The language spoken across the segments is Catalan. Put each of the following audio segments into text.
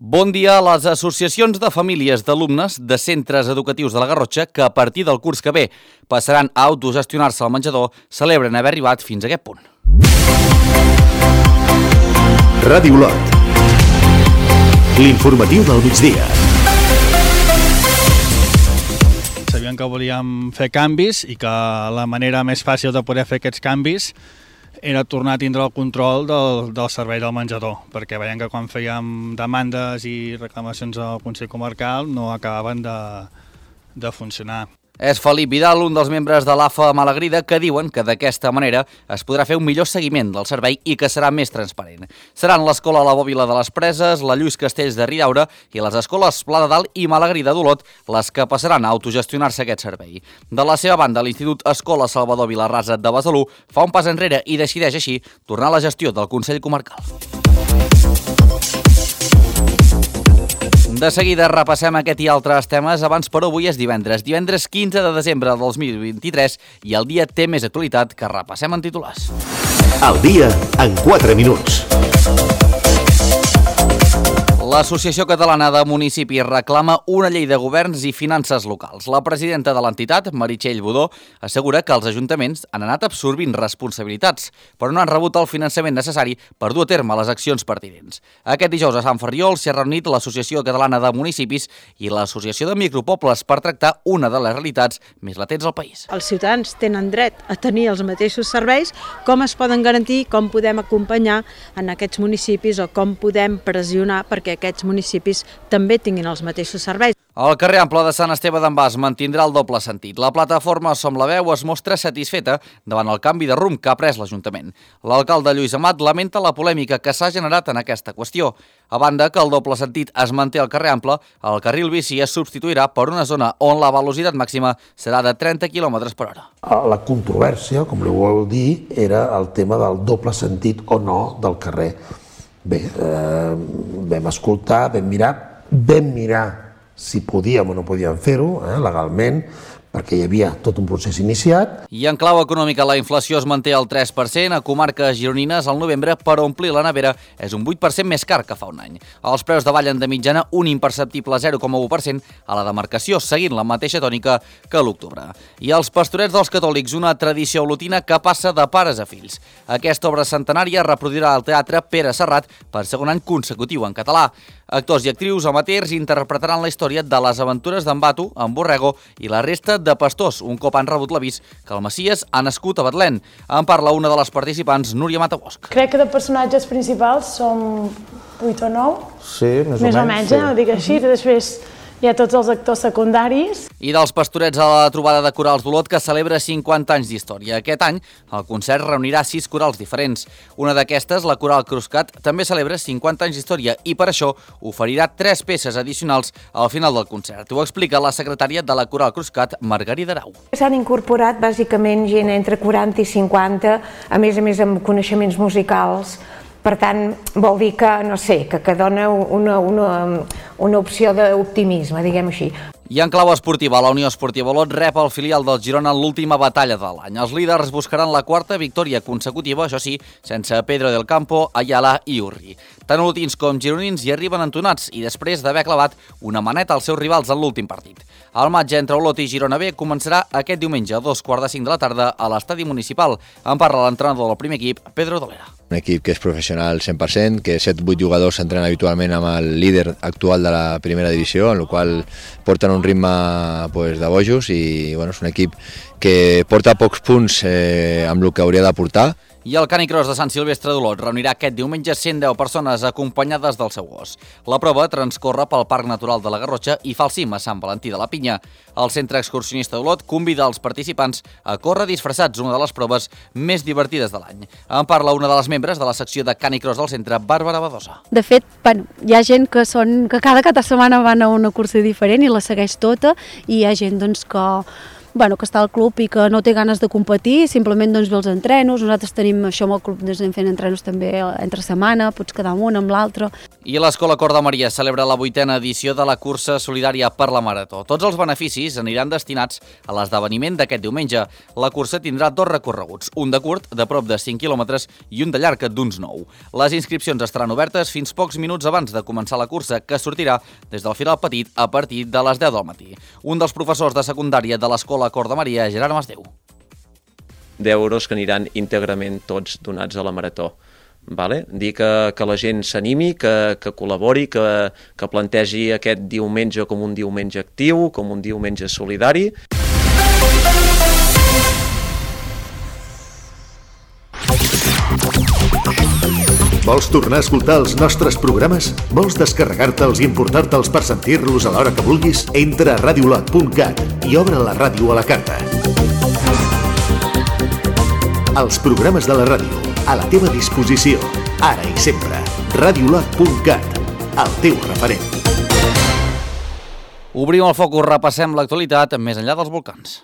Bon dia a les associacions de famílies d'alumnes de centres educatius de la Garrotxa que a partir del curs que ve passaran a autogestionar-se al menjador celebren haver arribat fins a aquest punt. Ràdio Olot. L'informatiu del migdia. Sabíem que volíem fer canvis i que la manera més fàcil de poder fer aquests canvis era tornar a tindre el control del servei del menjador, perquè veiem que quan fèiem demandes i reclamacions al Consell Comarcal no acabaven de funcionar. És Felip Vidal, un dels membres de l'AFA Malagrida, que diuen que d'aquesta manera es podrà fer un millor seguiment del servei i que serà més transparent. Seran l'Escola La Bòbila de les Preses, la Lluís Castells de Ridaura i les escoles Pla de Dalt i Malagrida d'Olot les que passaran a autogestionar-se aquest servei. De la seva banda, l'Institut Escola Salvador Vilarrasa de Besalú fa un pas enrere i decideix així tornar a la gestió del Consell Comarcal. De seguida repassem aquest i altres temes. Abans, però, avui és divendres 15 de desembre del 2023 i el dia té més actualitat que repassem en titulars. El dia en 4 minuts. L'Associació Catalana de Municipis reclama una llei de governs i finances locals. La presidenta de l'entitat, Meritxell Budó, assegura que els ajuntaments han anat absorbint responsabilitats, però no han rebut el finançament necessari per dur a terme les accions pertinents. Aquest dijous a Sant Ferriol s'hi ha reunit l'Associació Catalana de Municipis i l'Associació de Micropobles per tractar una de les realitats més latents al país. Els ciutadans tenen dret a tenir els mateixos serveis, com es poden garantir, com podem acompanyar en aquests municipis o com podem pressionar perquè aquests municipis també tinguin els mateixos serveis. El carrer Ample de Sant Esteve d'en Bas mantindrà el doble sentit. La plataforma Som la Veu es mostra satisfeta davant el canvi de rumb que ha pres l'Ajuntament. L'alcalde Lluís Amat lamenta la polèmica que s'ha generat en aquesta qüestió. A banda que el doble sentit es manté al carrer Ample, el carril bici es substituirà per una zona on la velocitat màxima serà de 30 km per hora. La controvèrsia, com li vol dir, era el tema del doble sentit o no del carrer. Bé, vam escoltar, vam mirar si podíem o no podíem fer-ho legalment, perquè hi havia tot un procés iniciat. I en clau econòmica la inflació es manté al 3%, a comarques gironines al novembre per omplir la nevera és un 8% més car que fa un any. Els preus davallen de mitjana un imperceptible 0,1% a la demarcació, seguint la mateixa tònica que a l'octubre. I els Pastorets dels Catòlics, una tradició olotina que passa de pares a fills. Aquesta obra centenària reproduirà al Teatre Pere Serrat per segon any consecutiu en català. Actors i actrius amateurs interpretaran la història de les aventures d'en Batu, en Borrego i la resta de pastors, un cop han rebut l'avís que el Messies ha nascut a Betlem. En parla una de les participants, Núria Matabosch. Crec que de personatges principals som 8 o 9. Sí, més o menys. Ho dic així. Després hi ha tots els actors secundaris. I dels Pastorets a la trobada de corals d'Olot, que celebra 50 anys d'història. Aquest any, el concert reunirà 6 corals diferents. Una d'aquestes, la Coral Cruscat, també celebra 50 anys d'història i per això oferirà 3 peces addicionals al final del concert. Ho explica la secretària de la Coral Cruscat, Margarida Arau. S'han incorporat bàsicament gent entre 40 i 50, a més amb coneixements musicals. Per tant, vol dir que, no sé, que dona una opció d'optimisme, diguem així. I en clau esportiva, la Unió Esportiva Olot rep el filial del Girona en l'última batalla de l'any. Els líders buscaran la 4ª victòria consecutiva, això sí, sense Pedro del Campo, Ayala i Urri. Tant olotins com gironins hi arriben entonats i després d'haver clavat una maneta als seus rivals en l'últim partit. El matx entre Olot i Girona B començarà aquest diumenge a 2:45 de la tarda a l'estadi municipal. En parla l'entrenador del primer equip, Pedro Dolera. Un equip que és professional 100%, que 7-8 jugadors s'entrenen habitualment amb el líder actual de la primera divisió, en el qual porten un ritme de bojos i és un equip que porta pocs punts amb el que hauria de portar. I el Canicross de Sant Silvestre d'Olot reunirà aquest diumenge 110 persones acompanyades del seu gos. La prova transcorre pel Parc Natural de la Garrotxa i fa el cim a Sant Valentí de la Pinya. El Centre Excursionista d'Olot convida els participants a córrer disfressats, una de les proves més divertides de l'any. En parla una de les membres de la secció de Canicross del centre, Bàrbara Badosa. De fet, hi ha gent que cada setmana van a una cursa diferent i la segueix tota, i hi ha gent que que està al club i que no té ganes de competir, simplement ve els entrenos. Nosaltres tenim això amb el club, anem fent entrenos també entre setmana, pots quedar amb un amb l'altre. I l'Escola Cor de Maria celebra la 8ª edició de la cursa solidària per la Marató. Tots els beneficis aniran destinats a l'esdeveniment d'aquest diumenge. La cursa tindrà 2 recorreguts, un de curt, de prop de 5 quilòmetres, i un de llarg, d'uns 9. Les inscripcions estaran obertes fins pocs minuts abans de començar la cursa, que sortirà des del final petit a partir de les 10 del matí. Un dels professors de secundària de l'Escola Cor de Maria, Gerard Masdeu. 10 euros que aniran íntegrament tots donats a la Marató. Dir que la gent s'animi, que col·labori, que plantegi aquest diumenge com un diumenge actiu, com un diumenge solidari. Vols tornar a escoltar els nostres programes? Vols descarregar-te'ls i emportar-te'ls per sentir-los a l'hora que vulguis? Entra a radiolot.cat i obre la ràdio a la carta. Els programes de la ràdio, a la teva disposició, ara i sempre. Radiolot.cat, el teu referent. Obrim el focus, repassem l'actualitat més enllà dels volcans.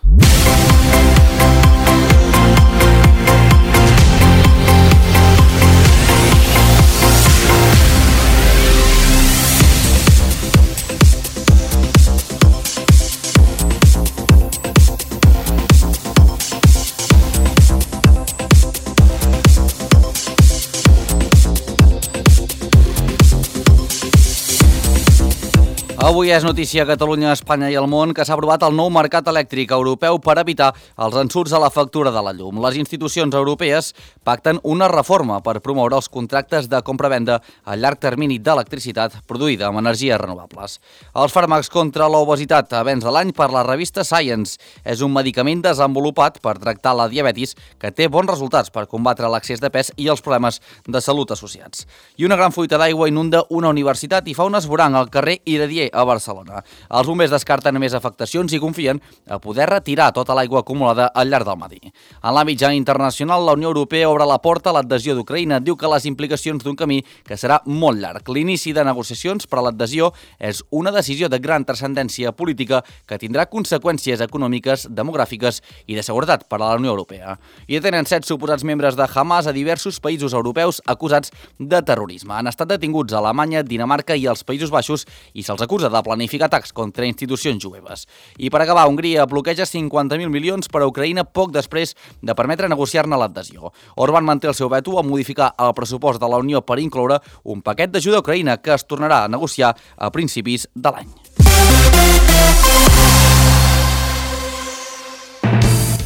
Avui és notícia a Catalunya, Espanya i el món que s'ha aprovat el nou mercat elèctric europeu per evitar els ensurts a la factura de la llum. Les institucions europees pacten una reforma per promoure els contractes de compra-venda a llarg termini d'electricitat produïda amb energies renovables. Els fàrmacs contra l'obesitat a vens de l'any per la revista Science. És un medicament desenvolupat per tractar la diabetis que té bons resultats per combatre l'excés de pes i els problemes de salut associats. I una gran fuita d'aigua inunda una universitat i fa un esborrany al carrer Iradier a Barcelona. Els bombers descarten més afectacions i confien a poder retirar tota l'aigua acumulada al llarg del matí. En l'àmbit ja internacional, la Unió Europea obre la porta a l'adhesió d'Ucraïna. Diu que les implicacions d'un camí que serà molt llarg. L'inici de negociacions per a l'adhesió és una decisió de gran transcendència política que tindrà conseqüències econòmiques, demogràfiques i de seguretat per a la Unió Europea. I tenen 7 suposats membres de Hamas a diversos països europeus acusats de terrorisme. Han estat detinguts a Alemanya, Dinamarca i els Països Baixos i se'ls acusa de planificar atacs contra institucions jueves. I per acabar, Hongria bloqueja 50.000 milions per a Ucraïna poc després de permetre negociar-ne l'adhesió. Orbán manté el seu veto a modificar el pressupost de la Unió per incloure un paquet d'ajuda a Ucraïna que es tornarà a negociar a principis de l'any.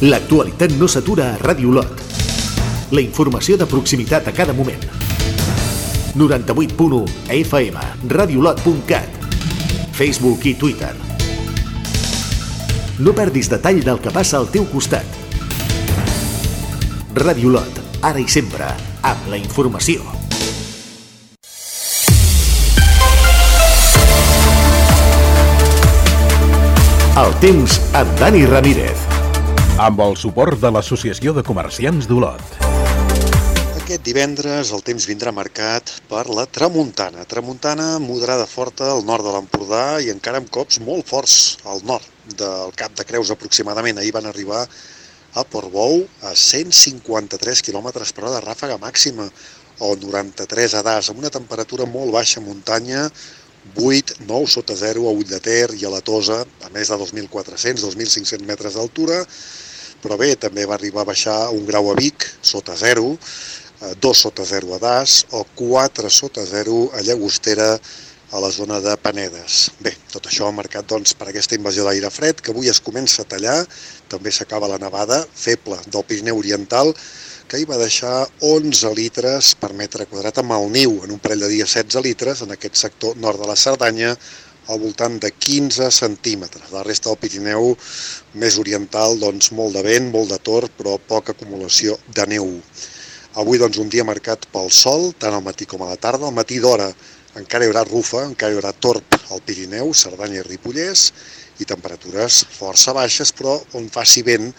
L'actualitat no s'atura a Ràdio Lot. La informació de proximitat a cada moment. 98.1 FM, radiolot.cat, Facebook i Twitter. No perdis detall del que passa al teu costat. Ràdio Lot, ara i sempre, amb la informació. El temps amb Dani Ramírez. Amb el suport de l'Associació de Comerciants d'Olot. Aquest divendres el temps vindrà marcat per la tramuntana. Tramuntana moderada forta al nord de l'Empordà i encara amb cops molt forts al nord del Cap de Creus aproximadament. Ahir van arribar a Portbou a 153 km per hora de ràfaga màxima o 93 a Das, amb una temperatura molt baixa a muntanya, 8, 9 sota 0 a Ull de Ter i a la Tosa, a més de 2.400, 2.500 metres d'altura, però bé, també va arribar a baixar 1 grau a Vic, sota 0, 2 sota 0 a Das o 4 sota 0 a Llagostera, a la zona de Panedes. Bé, tot això marcat doncs, per aquesta invasió d'aire fred, que avui es comença a tallar, també s'acaba la nevada feble del Pirineu Oriental, que hi va deixar 11 litres per metre quadrat amb el niu, en un parell de dies 16 litres, en aquest sector nord de la Cerdanya, al voltant de 15 centímetres. La resta del Pirineu més oriental, doncs molt de vent, molt de torb, però poca acumulació de neu. Avui doncs un dia marcat pel sol, tant al matí com a la tarda. Al matí d'hora encara hi haurà rufa, encara hi haurà torb al Pirineu, Cerdanya i Ripollès, i temperatures força baixes, però on faci vent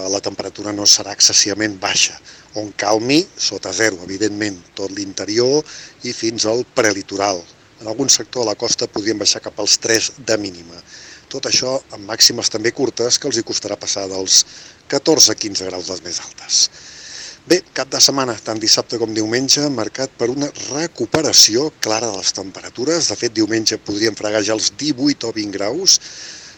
la temperatura no serà excessivament baixa. On calmi, sota 0, evidentment, tot l'interior i fins al prelitoral. En algun sector de la costa podrien baixar cap als 3 de mínima. Tot això amb màximes també curtes que els hi costarà passar dels 14-15 graus les més altes. Bé, cap de setmana, tant dissabte com diumenge, marcat per una recuperació clara de les temperatures. De fet, diumenge podríem fregar ja els 18 o 20 graus.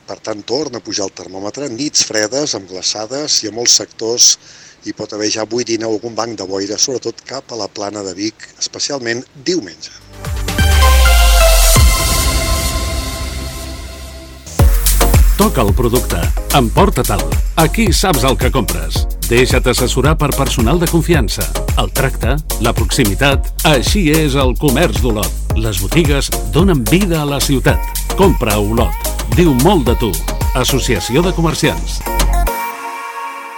Per tant, torna a pujar el termòmetre, nits fredes, amb glaçades, i a molts sectors hi pot haver ja avui dinar algun banc de boira, sobretot cap a la plana de Vic, especialment diumenge. Toca el producte. Emporta-te'l. Aquí saps el que compres. Deixa't assessorar per personal de confiança. El tracte, la proximitat... Així és el comerç d'Olot. Les botigues donen vida a la ciutat. Compra a Olot. Diu molt de tu. Associació de Comerciants.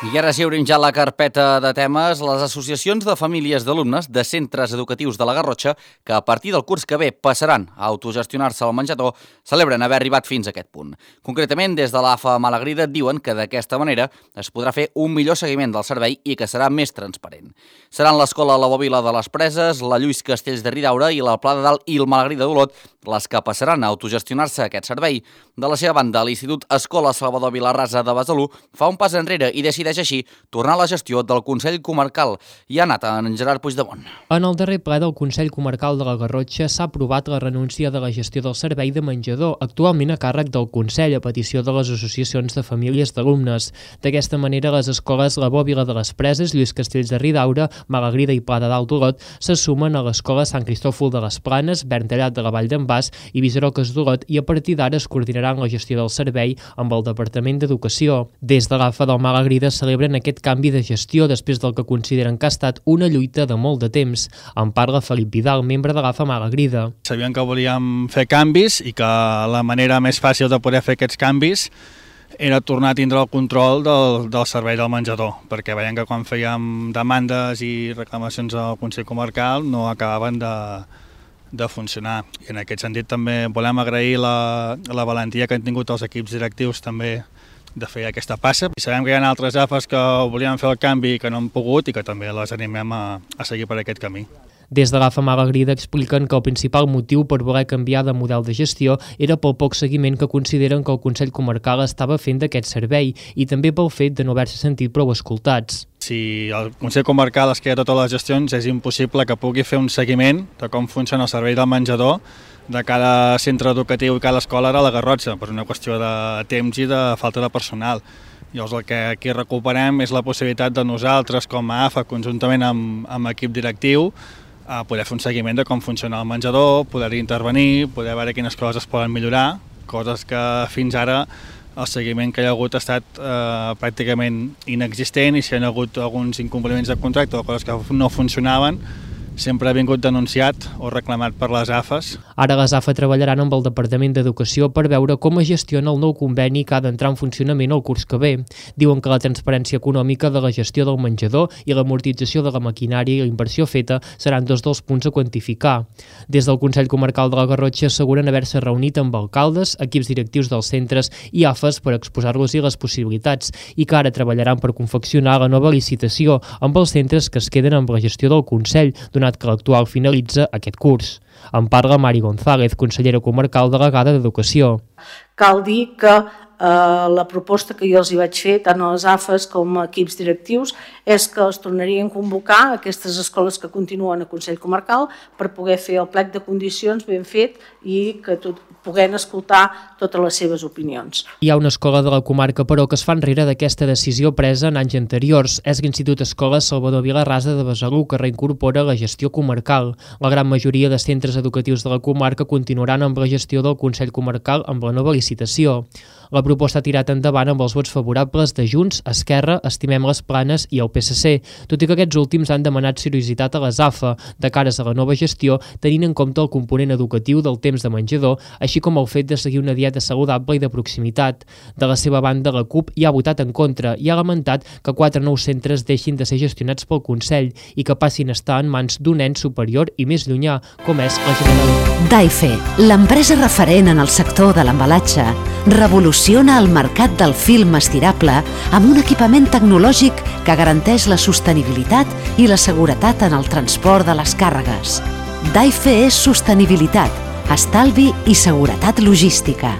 I ara sí, obrim ja la carpeta de temes. Les associacions de famílies d'alumnes de centres educatius de la Garrotxa, que a partir del curs que ve passaran a autogestionar-se al menjador, celebren haver arribat fins a aquest punt. Concretament, des de l'AFA Malagrida diuen que d'aquesta manera es podrà fer un millor seguiment del servei i que serà més transparent. Seran l'Escola La Bòbila de les Preses, la Lluís Castells de Ridaura i la Pla de Dalt i el Malagrida d'Olot les que passaran a autogestionar-se aquest servei. De la seva banda, l'Institut Escola Salvador Vilarrasa de Besalú fa un pas enrere i decideix així tornar a la gestió del Consell Comarcal. I ha anat en Gerard Puigdemont. En el darrer ple del Consell Comarcal de la Garrotxa s'ha aprovat la renúncia de la gestió del servei de menjador, actualment a càrrec del Consell a petició de les associacions de famílies d'alumnes. D'aquesta manera, les escoles La Bòbila de les Preses, Lluís Castells de Ridaura, Malagrida i Pla de Dalt d'Olot se sumen a l'Escola Sant Cristòfol de les Planes, Verntallat de la Vall d'en Bas i Viceroques d'Olot, i a partir d'ara es coordinaran la gestió del servei amb el Departament d'Educació. Des de l'AFA del Malagrida celebren aquest canvi de gestió després del que consideren que ha estat una lluita de molt de temps. En parla Felip Vidal, membre de l'AFA Malagrida. Sabíem que volíem fer canvis i que la manera més fàcil de poder fer aquests canvis era tornar a tindre el control del servei del menjador, perquè veiem que quan fèiem demandes i reclamacions al Consell Comarcal no acabaven de funcionar. I en aquest sentit també volem agrair la valentia que han tingut els equips directius també de fer aquesta passa. I sabem que hi ha altres AFAs que volien fer el canvi i que no han pogut i que també les animem a seguir per aquest camí. Des de l'AFA Malagrida expliquen que el principal motiu per voler canviar de model de gestió era pel poc seguiment que consideren que el Consell Comarcal estava fent d'aquest servei i també pel fet de no haver-se sentit prou escoltats. Si el Consell Comarcal es queda totes les gestions, és impossible que pugui fer un seguiment de com funciona el servei del menjador de cada centre educatiu i cada escola a la Garrotxa, per una qüestió de temps i de falta de personal. Llavors el que aquí recuperem és la possibilitat de nosaltres com a AFA, conjuntament amb equip directiu, a poder fer un seguiment de com funciona el menjador, poder intervenir, poder veure quines coses es poden millorar, coses que fins ara el seguiment que hi ha hagut ha estat pràcticament inexistent, i si hi ha hagut alguns incompliments de contracte o coses que no funcionaven, sempre ha vingut denunciat o reclamat per les AFAs. Ara les AFA treballaran amb el Departament d'Educació per veure com es gestiona el nou conveni que ha d'entrar en funcionament el curs que ve. Diuen que la transparència econòmica de la gestió del menjador i l'amortització de la maquinària i la inversió feta seran dos dels punts a quantificar. Des del Consell Comarcal de la Garrotxa asseguren haver-se reunit amb alcaldes, equips directius dels centres i AFAs per exposar-los-hi les possibilitats i que ara treballaran per confeccionar la nova licitació amb els centres que es queden amb la gestió del Consell, donat que l'actual finalitza aquest curs. En parla Mari González, consellera comarcal delegada d'Educació. Cal dir que la proposta que jo els hi vaig fer, tant a les AFAs com a equips directius, és que els tornarien a convocar aquestes escoles que continuen a Consell Comarcal per poder fer el plec de condicions ben fet i que puguem escoltar totes les seves opinions. Hi ha una escola de la comarca, però, que es fa enrere d'aquesta decisió presa en anys anteriors. És l'Institut Escola Salvador Vilarrasa de Besalú, que reincorpora la gestió comarcal. La gran majoria de centres educatius de la comarca continuaran amb la gestió del Consell Comarcal amb la nova licitació. La proposta ha tirat endavant amb els vots favorables de Junts, Esquerra, Estimem les Planes i el PSC, tot i que aquests últims han demanat seriositat a les AFA de cares a la nova gestió, tenint en compte el component educatiu del temps de menjador, així com el fet de seguir una dieta saludable i de proximitat. De la seva banda, la CUP hi ha votat en contra i ha lamentat que 4 nous centres deixin de ser gestionats pel Consell i que passin a estar en mans d'un ens superior i més llunyà, com és la Generalitat. Daife, l'empresa referent en el sector de l'embalatge, revoluciona el mercat del film estirable amb un equipament tecnològic que garanteix la sostenibilitat i la seguretat en el transport de les càrregues. Daife és sostenibilitat, estalvi i seguretat logística.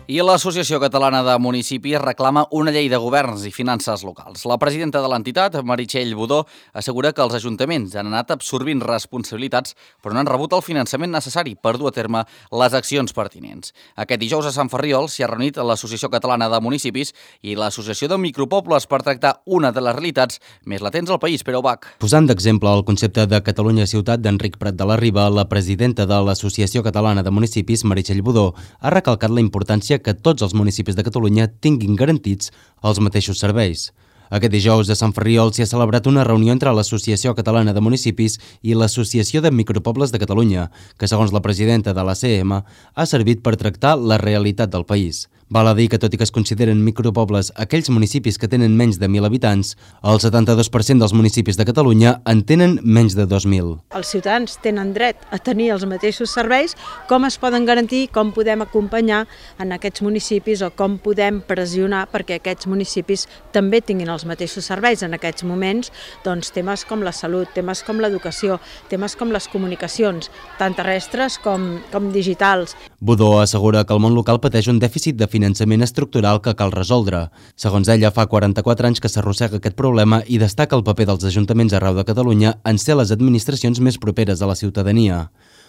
I l'Associació Catalana de Municipis reclama una llei de governs i finances locals. La presidenta de l'entitat, Meritxell Budó, assegura que els ajuntaments han anat absorbint responsabilitats però no han rebut el finançament necessari per dur a terme les accions pertinents. Aquest dijous a Sant Ferriol s'hi ha reunit l'Associació Catalana de Municipis i l'Associació de Micropobles per tractar una de les realitats més latents al país, Pere Ubach. Posant d'exemple el concepte de Catalunya Ciutat d'Enric Prat de la Riba, la presidenta de l'Associació Catalana de Municipis, Meritxell Budó, ha recalcat la importància que tots els municipis de Catalunya tinguin garantits els mateixos serveis. Aquest dijous a Sant Ferriol s'hi ha celebrat una reunió entre l'Associació Catalana de Municipis i l'Associació de Micropobles de Catalunya, que segons la presidenta de l'ACM ha servit per tractar la realitat del país. Val a dir que tot i que es consideren micropobles aquells municipis que tenen menys de 1.000 habitants, el 72% dels municipis de Catalunya en tenen menys de 2.000. Els ciutadans tenen dret a tenir els mateixos serveis, com es poden garantir, com podem acompanyar en aquests municipis o com podem pressionar perquè aquests municipis també tinguin els mateixos serveis. En aquests moments, doncs, temes com la salut, temes com l'educació, temes com les comunicacions, tant terrestres com digitals. Budó assegura que el món local pateix un dèficit de finançament estructural que cal resoldre. Segons ella, fa 44 anys que s'arrossega aquest problema i destaca el paper dels ajuntaments arreu de Catalunya en ser les administracions més properes a la ciutadania.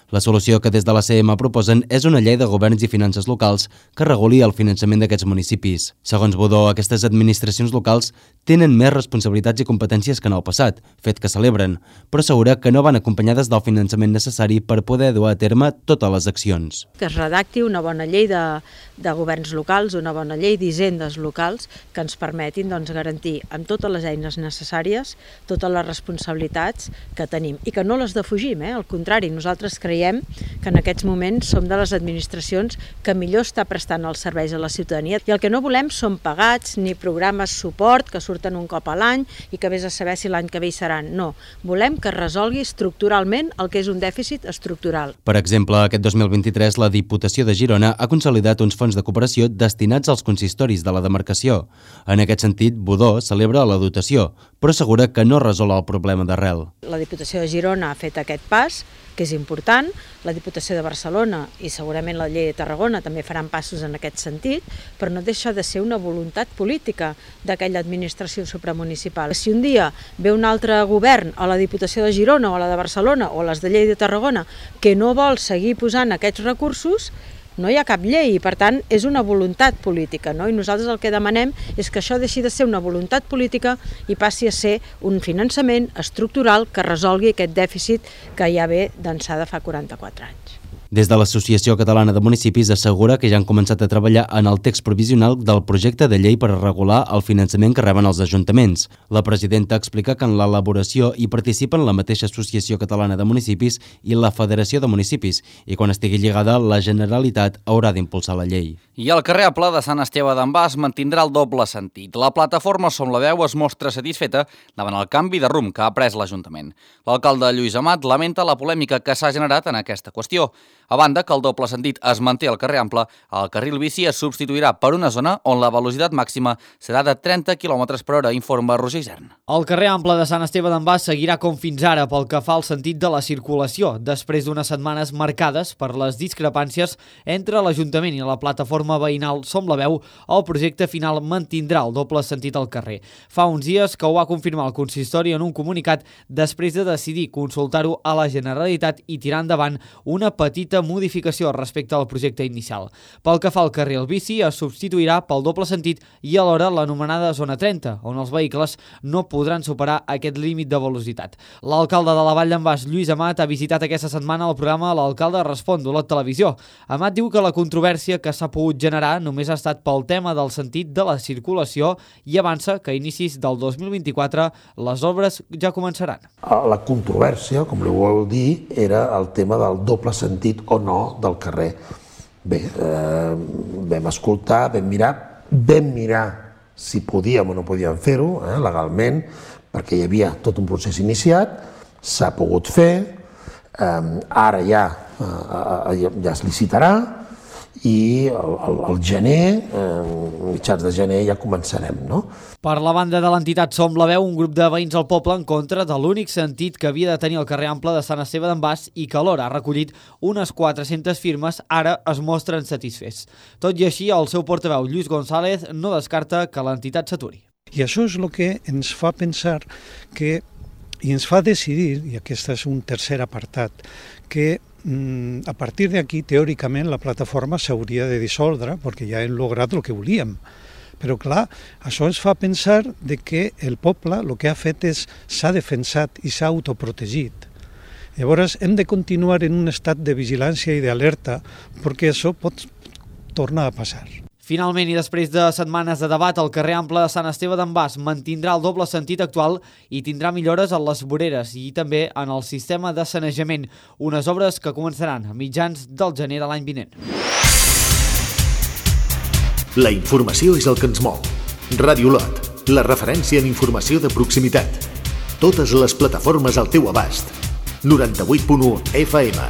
La solució que des de l'ACM proposen és una llei de governs i finances locals que reguli el finançament d'aquests municipis. Segons Budó, aquestes administracions locals tenen més responsabilitats i competències que en el passat, fet que celebren, però assegura que no van acompanyades del finançament necessari per poder dur a terme totes les accions. Que es redacti una bona llei de governs locals, una bona llei d'hisendes locals que ens permetin garantir amb totes les eines necessàries totes les responsabilitats que tenim i que no les defugim, al contrari, nosaltres creiem que en aquests moments som de les administracions que millor està prestant els serveis a la ciutadania i el que no volem són pagats ni programes suport que surten un cop a l'any i que vés a saber si l'any que ve hi seran. No, volem que es resolgui estructuralment el que és un dèficit estructural. Per exemple, aquest 2023 la Diputació de Girona ha consolidat uns fons de cooperació destinats als consistoris de la demarcació. En aquest sentit, Budó celebra la dotació, però assegura que no resol el problema d'arrel. La Diputació de Girona ha fet aquest pas, que és important, la Diputació de Barcelona i segurament la Llei de Tarragona també faran passos en aquest sentit, però no deixa de ser una voluntat política d'aquella administració supramunicipal. Si un dia ve un altre govern a la Diputació de Girona o a la de Barcelona o a les de Llei de Tarragona que no vol seguir posant aquests recursos, no hi ha cap llei i, per tant, és una voluntat política, no? I nosaltres el que demanem és que això deixi de ser una voluntat política i passi a ser un finançament estructural que resolgui aquest dèficit que ja ve d'ençà de fa 44 anys. Des de l'Associació Catalana de Municipis assegura que ja han començat a treballar en el text provisional del projecte de llei per regular el finançament que reben els ajuntaments. La presidenta explica que en l'elaboració hi participen la mateixa Associació Catalana de Municipis i la Federació de Municipis i quan estigui lligada la Generalitat haurà d'impulsar la llei. I el carrer Ample de Sant Esteve d'en Bas mantindrà el doble sentit. La plataforma Som la Veu es mostra satisfeta davant el canvi de rumb que ha pres l'Ajuntament. L'alcalde Lluís Amat lamenta la polèmica que s'ha generat en aquesta qüestió. A banda que el doble sentit es manté al carrer Ample, el carril bici es substituirà per una zona on la velocitat màxima serà de 30 km per hora, informa Roger Isern. El carrer Ample de Sant Esteve d'en Bas seguirà com fins ara pel que fa al sentit de la circulació, després d'unes setmanes marcades per les discrepàncies entre l'Ajuntament i la plataforma veïnal Som la Veu, el projecte final mantindrà el doble sentit al carrer. Fa uns dies que ho va confirmar el consistori en un comunicat després de decidir consultar-ho a la Generalitat i tirar endavant una petita modificació respecte al projecte inicial. Pel que fa al carril bici, es substituirà pel doble sentit i alhora l'anomenada zona 30, on els vehicles no podran superar aquest límit de velocitat. L'alcalde de la Vall d'en Bas, Lluís Amat, ha visitat aquesta setmana el programa L'Alcalde Respon de la televisió. Amat diu que la controvèrsia que s'ha pogut generar només ha estat pel tema del sentit de la circulació i avança que a inicis del 2024 les obres ja començaran. La controvèrsia, com li vol dir, era el tema del doble sentit o no del carrer. Bé, vam escoltar, vam mirar si podíem o no podíem fer-ho legalment, perquè hi havia tot un procés iniciat, s'ha pogut fer, ara ja es licitarà i al gener, mitjans de gener, ja començarem, no? Per la banda de l'entitat Som la Veu, un grup de veïns al poble en contra de l'únic sentit que havia de tenir el carrer Ample de Sant Esteve d'en Bas i que alhora ha recollit unes 400 firmes, ara es mostren satisfets. Tot i així, el seu portaveu, Lluís González, no descarta que l'entitat s'aturi. I això és el que ens fa pensar que, i ens fa decidir, i aquest és un tercer apartat, que a partir d'aquí, teòricament, la plataforma s'hauria de dissoldre perquè ja hem lograt el que volíem. Però, clar, això ens fa pensar que el poble el que ha fet és s'ha defensat i s'ha autoprotegit. Llavors, hem de continuar en un estat de vigilància i d'alerta perquè això pot tornar a passar. Finalment, i després de setmanes de debat, el carrer Ample de Sant Esteve d'en Bas mantindrà el doble sentit actual i tindrà millores a les voreres i també en el sistema de sanejament, unes obres que començaran a mitjans del gener de l'any vinent. La informació és el que ens mou. Ràdio Lot, la referència en informació de proximitat. Totes les plataformes al teu abast. 98.1 FM,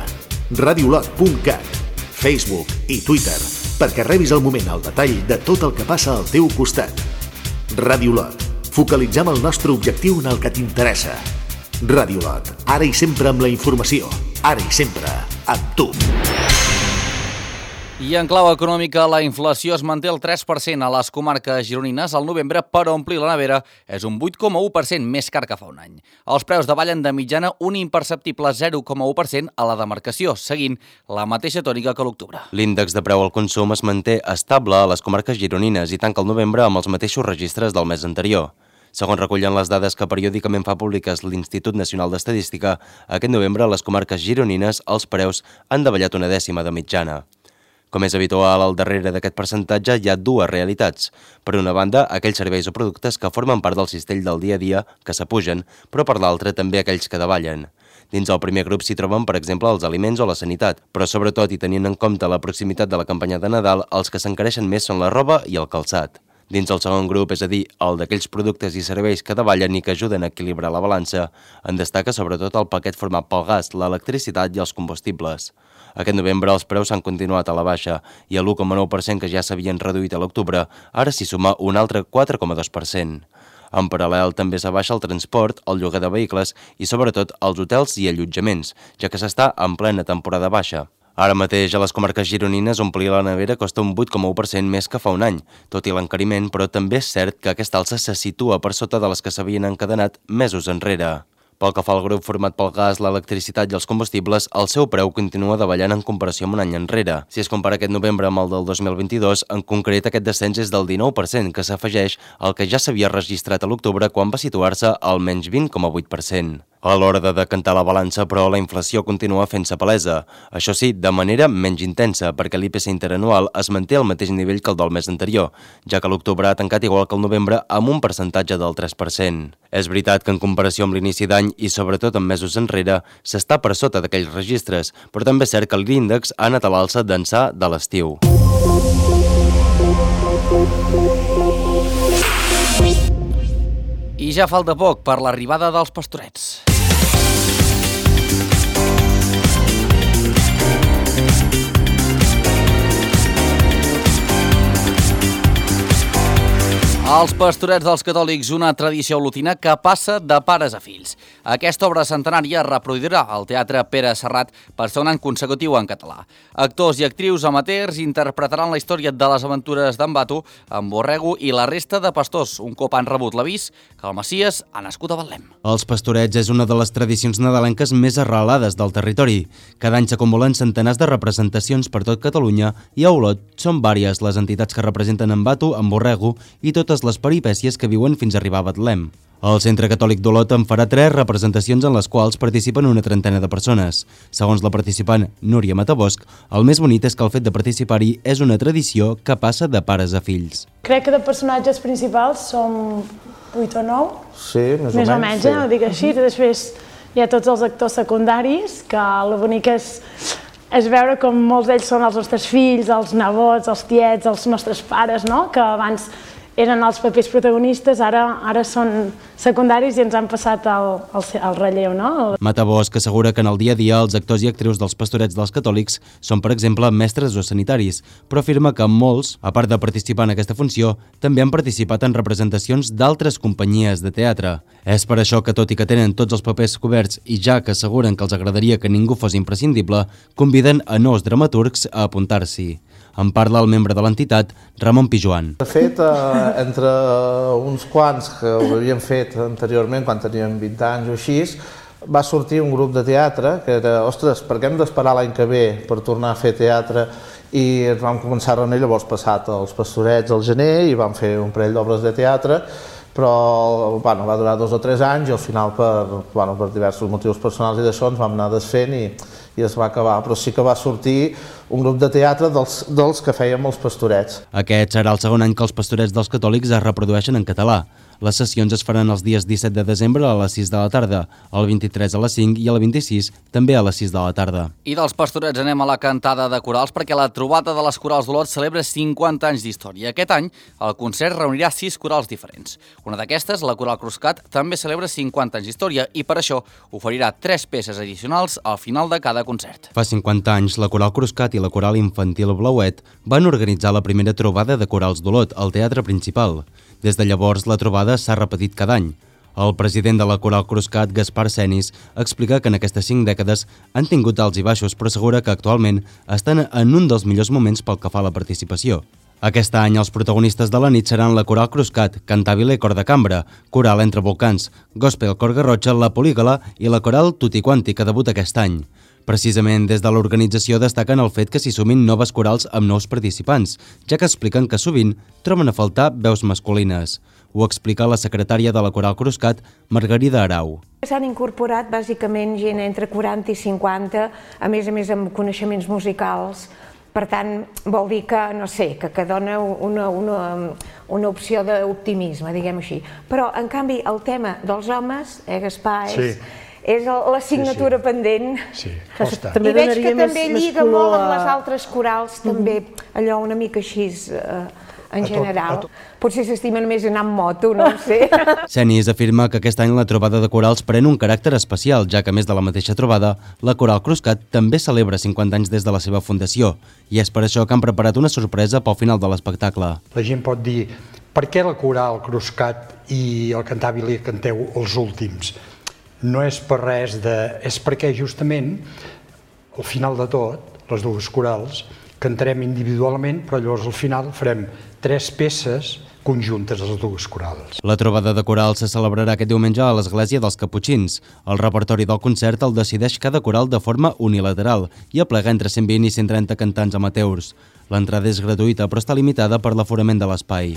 radiolot.cat, Facebook i Twitter, perquè rebis al moment el detall de tot el que passa al teu costat. Ràdio Lot. Focalitzem el nostre objectiu en el que t'interessa. Ràdio Lot. Ara i sempre amb la informació. Ara i sempre amb tu. I en clau econòmica, la inflació es manté al 3% a les comarques gironines al novembre, però omplir la nevera és un 8,1% més car que fa un any. Els preus davallen de mitjana un imperceptible 0,1% a la demarcació, seguint la mateixa tònica que l'octubre. L'índex de preu al consum es manté estable a les comarques gironines i tanca el novembre amb els mateixos registres del mes anterior. Segons recullen les dades que periòdicament fa públiques l'Institut Nacional d'Estadística, aquest novembre a les comarques gironines els preus han davallat una dècima de mitjana. Com és habitual, al darrere d'aquest percentatge hi ha dues realitats. Per una banda, aquells serveis o productes que formen part del cistell del dia a dia, que s'apugen, però per l'altra també aquells que davallen. Dins el primer grup s'hi troben, per exemple, els aliments o la sanitat, però sobretot, i tenint en compte la proximitat de la campanya de Nadal, els que s'encareixen més són la roba i el calçat. Dins el segon grup, és a dir, el d'aquells productes i serveis que davallen i que ajuden a equilibrar la balança, en destaca sobretot el paquet format pel gas, l'electricitat i els combustibles. Aquest novembre els preus s'han continuat a la baixa i a l'1,9% que ja s'havien reduït a l'octubre, ara s'hi suma un altre 4,2%. En paral·lel també s'abaixa el transport, el lloguer de vehicles i sobretot els hotels i allotjaments, ja que s'està en plena temporada baixa. Ara mateix a les comarques gironines omplir la nevera costa un 8,1% més que fa un any, tot i l'encariment, però també és cert que aquesta alça se situa per sota de les que s'havien encadenat mesos enrere. Pel que fa al grup format pel gas, l'electricitat i els combustibles, el seu preu continua davallant en comparació amb un any enrere. Si es compara aquest novembre amb el del 2022, en concret aquest descens és del 19%, que s'afegeix al que ja s'havia registrat a l'octubre quan va situar-se al menys 20,8%. A l'hora de decantar la balança, però, la inflació continua fent-se palesa. Això sí, de manera menys intensa, perquè l'IPC interanual es manté al mateix nivell que el del mes anterior, ja que l'octubre ha tancat igual que el novembre amb un percentatge del 3%. És veritat que en comparació amb l'inici d'any i sobretot en mesos enrere, s'està per sota d'aquells registres, però també és cert que l'índex ha anat a l'alça d'ençà de l'estiu. I ja falta poc per l'arribada dels Pastorets. Els Pastorets dels Catòlics, una tradició olotina que passa de pares a fills. Aquesta obra centenària es reproduirà al Teatre Pere Serrat per segon any consecutiu en català. Actors i actrius amateurs interpretaran la història de les aventures d'en Bato, en Borrego i la resta de pastors, un cop han rebut l'avís que el Messies ha nascut a Betlem. Els Pastorets és una de les tradicions nadalenques més arrelades del territori. Cada any s'acumulen centenars de representacions per tot Catalunya i a Olot són vàries les entitats que representen en Bato, en Borrego i totes les peripècies que viuen fins a arribar a Betlem. El Centre Catòlic d'Olot en farà 3 representacions en les quals participen una trentena de persones. Segons la participant Núria Matabosc, el més bonic és que el fet de participar-hi és una tradició que passa de pares a fills. Crec que de personatges principals som 8 o 9. Sí, més o menys, sí. Dic així. Després hi ha tots els actors secundaris, que el bonic és veure com molts d'ells són els nostres fills, els nebots, els tiets, els nostres pares, no? Que abans eren els papers protagonistes, ara són secundaris i ens han passat el relleu, no? Mata Bosch assegura que en el dia a dia els actors i actrius dels Pastorets dels Catòlics són, per exemple, mestres o sanitaris, però afirma que molts, a part de participar en aquesta funció, també han participat en representacions d'altres companyies de teatre. És per això que, tot i que tenen tots els papers coberts i ja que asseguren que els agradaria que ningú fos imprescindible, conviden a nous dramaturgs a apuntar-s'hi. En parla el membre de l'entitat, Ramon Pijuan. De fet, entre uns quants que ho havíem fet anteriorment, quan teníem 20 anys o així, va sortir un grup de teatre que era, ostres, per què hem d'esperar l'any que ve per tornar a fer teatre? I ens vam començar a reunir, llavors passat els Pastorets al gener i vam fer un parell d'obres de teatre, però va durar 2 o 3 anys i al final per diversos motius personals i d'això ens vam anar desfent i es va acabar, però sí que va sortir un grup de teatre dels que fèiem els Pastorets. Aquest serà el segon any que els Pastorets dels Catòlics es reprodueixen en català. Les sessions es faran els dies 17 de desembre a les 6 de la tarda, el 23 a les 5 i el 26 també a les 6 de la tarda. I dels Pastorets anem a la cantada de corals perquè la trobada de les corals d'Olot celebra 50 anys d'història. Aquest any el concert reunirà 6 corals diferents. Una d'aquestes, la Coral Cruscat, també celebra 50 anys d'història i per això oferirà 3 peces addicionals al final de cada concert. Fa 50 anys, la Coral Cruscat i la Coral Infantil Blauet van organitzar la primera trobada de corals d'Olot al Teatre Principal. Des de llavors, la trobada s'ha repetit cada any. El president de la Coral Cruscat, Gaspar Senis, explica que en aquestes 5 dècades han tingut alts i baixos, però assegura que actualment estan en un dels millors moments pel que fa a la participació. Aquest any els protagonistes de la nit seran la Coral Cruscat, Cantabile Cor de Cambra, Coral Entre Volcans, Gospel Cor Garrotxa, la Polígala i la Coral Tutti Quanti, que debuta aquest any. Precisament des de l'organització destaquen el fet que s'hi sumin noves corals amb nous participants, ja que expliquen que sovint troben a faltar veus masculines. Ho explica la secretària de la Coral Cruscat, Margarida Arau. S'han incorporat bàsicament gent entre 40 i 50, a més amb coneixements musicals. Per tant, vol dir que, no sé, que dona una opció d'optimisme, diguem així. Però, en canvi, el tema dels homes, Gaspar, és l'assignatura pendent. Sí, I veig que també lliga molt amb les altres corals, també allò una mica així en general. Potser s'estimen més anar amb moto, no ho sé. Senis afirma que aquest any la trobada de corals pren un caràcter especial, ja que a més de la mateixa trobada, la Coral Cruscat també celebra 50 anys des de la seva fundació, i és per això que han preparat una sorpresa pel final de l'espectacle. La gent pot dir, per què la Coral Cruscat i el Cantabile canteu els últims? No és per res és perquè justament al final de tot, les dues corals, cantarem individualment, però llavors al final farem 3 peces conjuntes a les dues corals. La trobada de corals se celebrarà aquest diumenge a l'Església dels Caputxins. El repertori del concert el decideix cada coral de forma unilateral i aplega entre 120 i 130 cantants amateurs. L'entrada és gratuïta però està limitada per l'aforament de l'espai.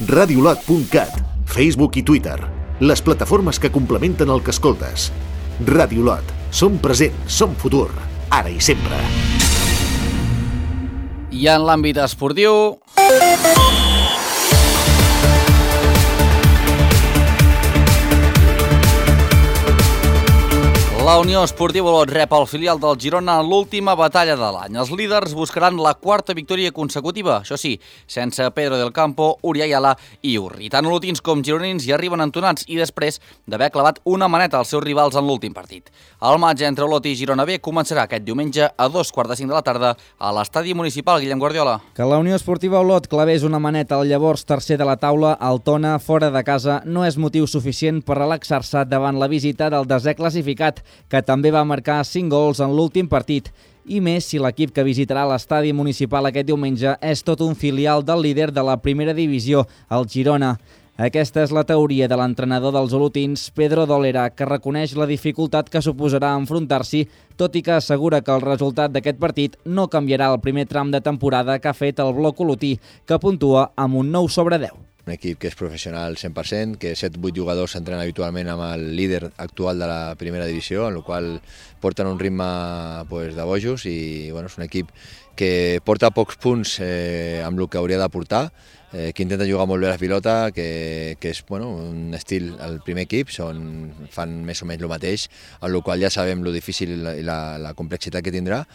Radiolot.cat, Facebook i Twitter, les plataformes que complementen el que escoltes. Radiolot, som present, som futur, ara i sempre. I en l'àmbit esportiu... La Unió Esportiva Olot rep el filial del Girona en l'última batalla de l'any. Els líders buscaran la 4ª victòria consecutiva, això sí, sense Pedro del Campo, Uri Ayala i Urri. Tant olotins com gironins hi arriben entonats i després d'haver clavat una maneta als seus rivals en l'últim partit. El maig entre Olot i Girona B començarà aquest diumenge a 2:45 de la tarda a l'estadi municipal Guillem Guardiola. Que la Unió Esportiva Olot clavés una maneta al llavors tercer de la taula, el Tona, fora de casa, no és motiu suficient per relaxar-se davant la visita del desè classificat, que també va marcar 5 gols en l'últim partit, i més si l'equip que visitarà l'estadi municipal aquest diumenge és tot un filial del líder de la primera divisió, el Girona. Aquesta és la teoria de l'entrenador dels olotins, Pedro Dolera, que reconeix la dificultat que suposarà enfrontar-s'hi, tot i que assegura que el resultat d'aquest partit no canviarà el primer tram de temporada que ha fet el bloc olotí, que puntua amb un 9/10. Un equip que és professional 100%, que 7-8 jugadors s'entrenen habitualment amb el líder actual de la primera divisió, en el qual porten un ritme de bojos i és un equip que porta pocs punts amb el que hauria de portar, que intenta jugar molt bé la pilota, que és un estil, el primer equip, fan més o menys el mateix, en el qual ja sabem lo difícil i la complexitat que tindrà.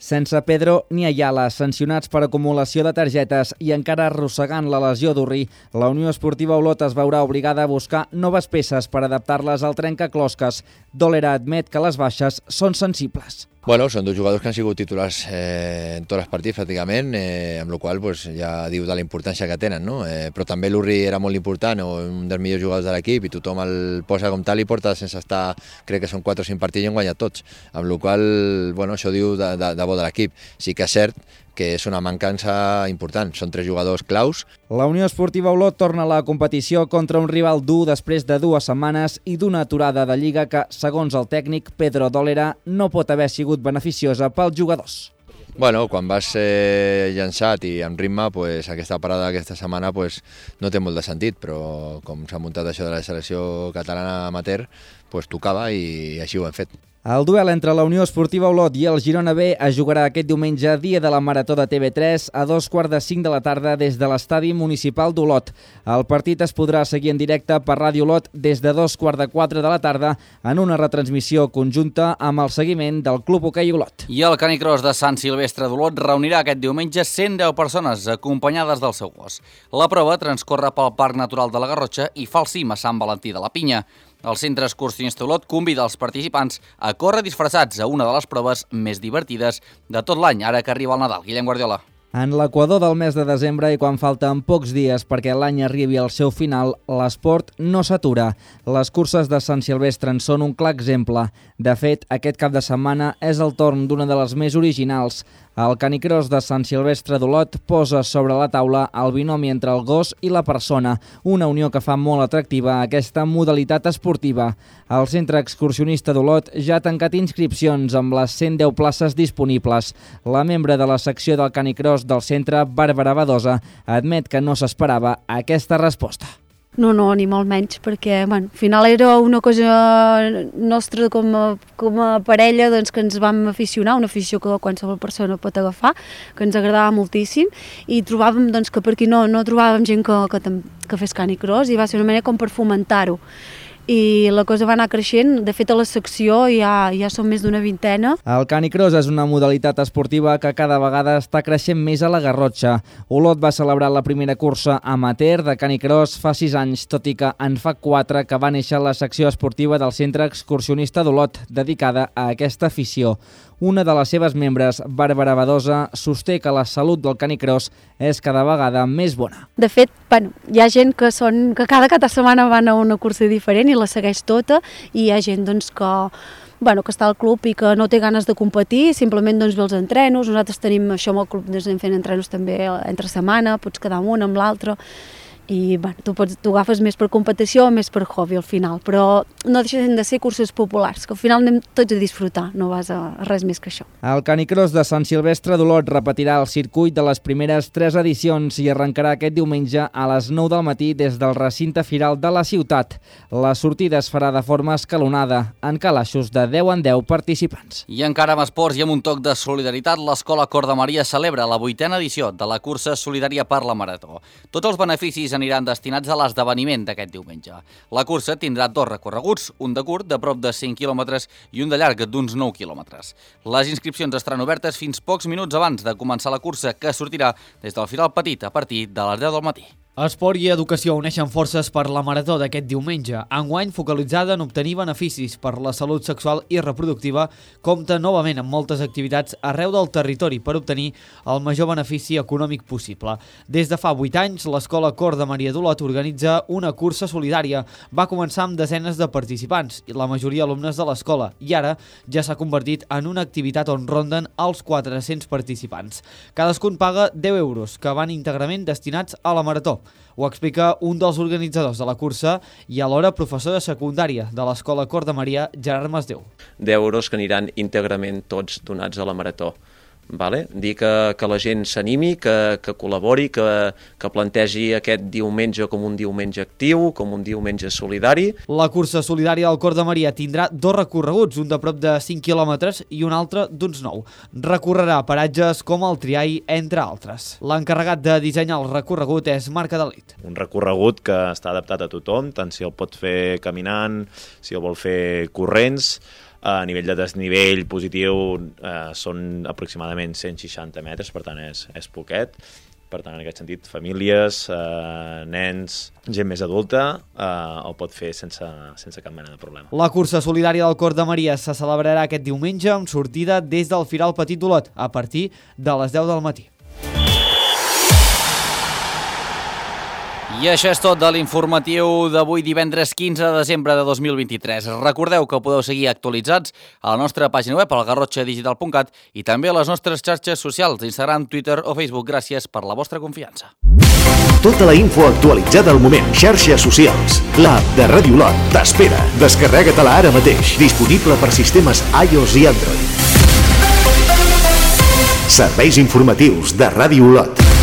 Sense Pedro ni Ayala, sancionats per acumulació de targetes i encara arrossegant la lesió d'Urri, la Unió Esportiva Olot es veurà obligada a buscar noves peces per adaptar-les al trencaclosques. Dòlera admet que les baixes són sensibles. Bueno, són dos jugadors que han sigut titulars en tots els partits pràcticament, amb la qual cosa ja diu de la importància que tenen, no? Però també l'Urri era molt important, un dels millors jugadors de l'equip, i tothom el posa com tal i porta sense estar, crec que són 4 o 5 partits i han guanyat tots, amb la qual cosa, bueno, això diu de bo de l'equip. Sí que és cert que és una mancança important, són 3 jugadors claus. La Unió Esportiva Olot torna a la competició contra un rival dur després de 2 setmanes i d'una aturada de Lliga que, segons el tècnic Pedro Dòlera, no pot haver sigut beneficiosa pels jugadors. Bueno, quan vas llançat i amb ritme, pues, aquesta parada aquesta setmana pues, no té molt de sentit, però com s'ha muntat això de la selecció catalana amateur, pues, tocava i així ho hem fet. El duel entre la Unió Esportiva Olot i el Girona B es jugarà aquest diumenge, dia de la Marató de TV3, a 2:45 de la tarda des de l'Estadi Municipal d'Olot. El partit es podrà seguir en directe per Ràdio Olot des de 2:15 de la tarda en una retransmissió conjunta amb el seguiment del Club Hoquei Olot. I el Canicross de Sant Silvestre d'Olot reunirà aquest diumenge 110 persones acompanyades del seu gos. La prova transcorre pel Parc Natural de la Garrotxa i fa el cim a Sant Valentí de la Pinya. El Centre Excursionista Olot convida els participants a córrer disfressats a una de les proves més divertides de tot l'any, ara que arriba el Nadal. Guillem Guardiola. En l'equador del mes de desembre i quan falten pocs dies perquè l'any arribi al seu final, l'esport no s'atura. Les curses de Sant Silvestre en són un clar exemple. De fet, aquest cap de setmana és el torn d'una de les més originals. El Canicross de Sant Silvestre d'Olot posa sobre la taula el binomi entre el gos i la persona, una unió que fa molt atractiva aquesta modalitat esportiva. El Centre Excursionista d'Olot ja ha tancat inscripcions amb les 110 places disponibles. La membre de la secció del Canicross del centre, Bàrbara Badosa, admet que no s'esperava aquesta resposta. No, ni molt menys, perquè al final era una cosa nostra com a parella doncs, que ens vam aficionar, una afició que qualsevol persona pot agafar, que ens agradava moltíssim, i trobàvem doncs, que per aquí no trobàvem gent que fes Canicross, i va ser una manera com per fomentar-ho. I la cosa va anar creixent. De fet, a la secció ja són més d'una vintena. El Canicross és una modalitat esportiva que cada vegada està creixent més a la Garrotxa. Olot va celebrar la primera cursa amateur de Canicross fa 6 anys, tot i que en fa 4 que va néixer la secció esportiva del Centre Excursionista d'Olot, dedicada a aquesta afició. Una de les seves membres, Bàrbara Badosa, sosté que la salut del Canicross és cada vegada més bona. De fet, hi ha gent que cada setmana van a una cursa diferent i la segueix tota, i hi ha gent doncs, que està al club i que no té ganes de competir, simplement ve els entrenos. Nosaltres tenim això amb el club, anem fent entrenos també entre setmana, pots quedar amb un, amb l'altre, i tu agafes més per competició o més per hobby al final, però no deixen de ser curses populars, que al final anem tots a disfrutar, no vas a res més que això. El Canicross de Sant Silvestre d'Olot repetirà el circuit de les primeres 3 edicions i arrencarà aquest diumenge a les 9 del matí des del recinte firal de la ciutat. La sortida es farà de forma escalonada, en calaixos de 10 en 10 participants. I encara amb esports i amb un toc de solidaritat, l'Escola Cor de Maria celebra la 8a edició de la cursa solidària per la Marató. Tots els beneficis aniran destinats a l'esdeveniment d'aquest diumenge. La cursa tindrà 2 recorreguts, un de curt de prop de 5 quilòmetres i un de llarg d'uns 9 quilòmetres. Les inscripcions estaran obertes fins pocs minuts abans de començar la cursa, que sortirà des del Firal Petit a partir de les 10 del matí. Esport i educació uneixen forces per la Marató d'aquest diumenge. Enguany, focalitzada en obtenir beneficis per la salut sexual i reproductiva, compta novament amb moltes activitats arreu del territori per obtenir el major benefici econòmic possible. Des de fa 8 anys, l'Escola Cor de Maria d'Olot organitza una cursa solidària. Va començar amb desenes de participants, la majoria alumnes de l'escola, i ara ja s'ha convertit en una activitat on ronden els 400 participants. Cadascun paga 10 euros, que van íntegrament destinats a la Marató. Ho explica un dels organitzadors de la cursa i alhora professor de secundària de l'Escola Cor de Maria, Gerard Masdeu. 10 euros que aniran íntegrament tots donats a la Marató. Dir que la gent s'animi, que col·labori, que plantegi aquest diumenge com un diumenge actiu, com un diumenge solidari. La cursa solidària del Cor de Maria tindrà 2 recorreguts, un de prop de 5 quilòmetres i un altre d'uns 9. Recorrerà paratges com el Triai, entre altres. L'encarregat de dissenyar el recorregut és Marc Adalit. Un recorregut que està adaptat a tothom, tant si el pot fer caminant, si el vol fer corrents. A nivell de desnivell positiu són aproximadament 160 metres, per tant és poquet. Per tant, en aquest sentit, famílies, nens, gent més adulta, ho pot fer sense cap mena de problema. La cursa solidària del Cor de Maria se celebrarà aquest diumenge amb sortida des del Firal Petit d'Olot a partir de les 10 del matí. I això és tot de l'informatiu d'avui divendres 15 de desembre de 2023. Recordeu que podeu seguir actualitzats a la nostra pàgina web, al garrotxadigital.cat, i també a les nostres xarxes socials, Instagram, Twitter o Facebook. Gràcies per la vostra confiança. Tota la info actualitzada al moment. Xarxes socials. L'app de Ràdio Olot t'espera. Descarrega-te-la ara mateix. Disponible per sistemes iOS i Android. Serveis informatius de Ràdio Olot.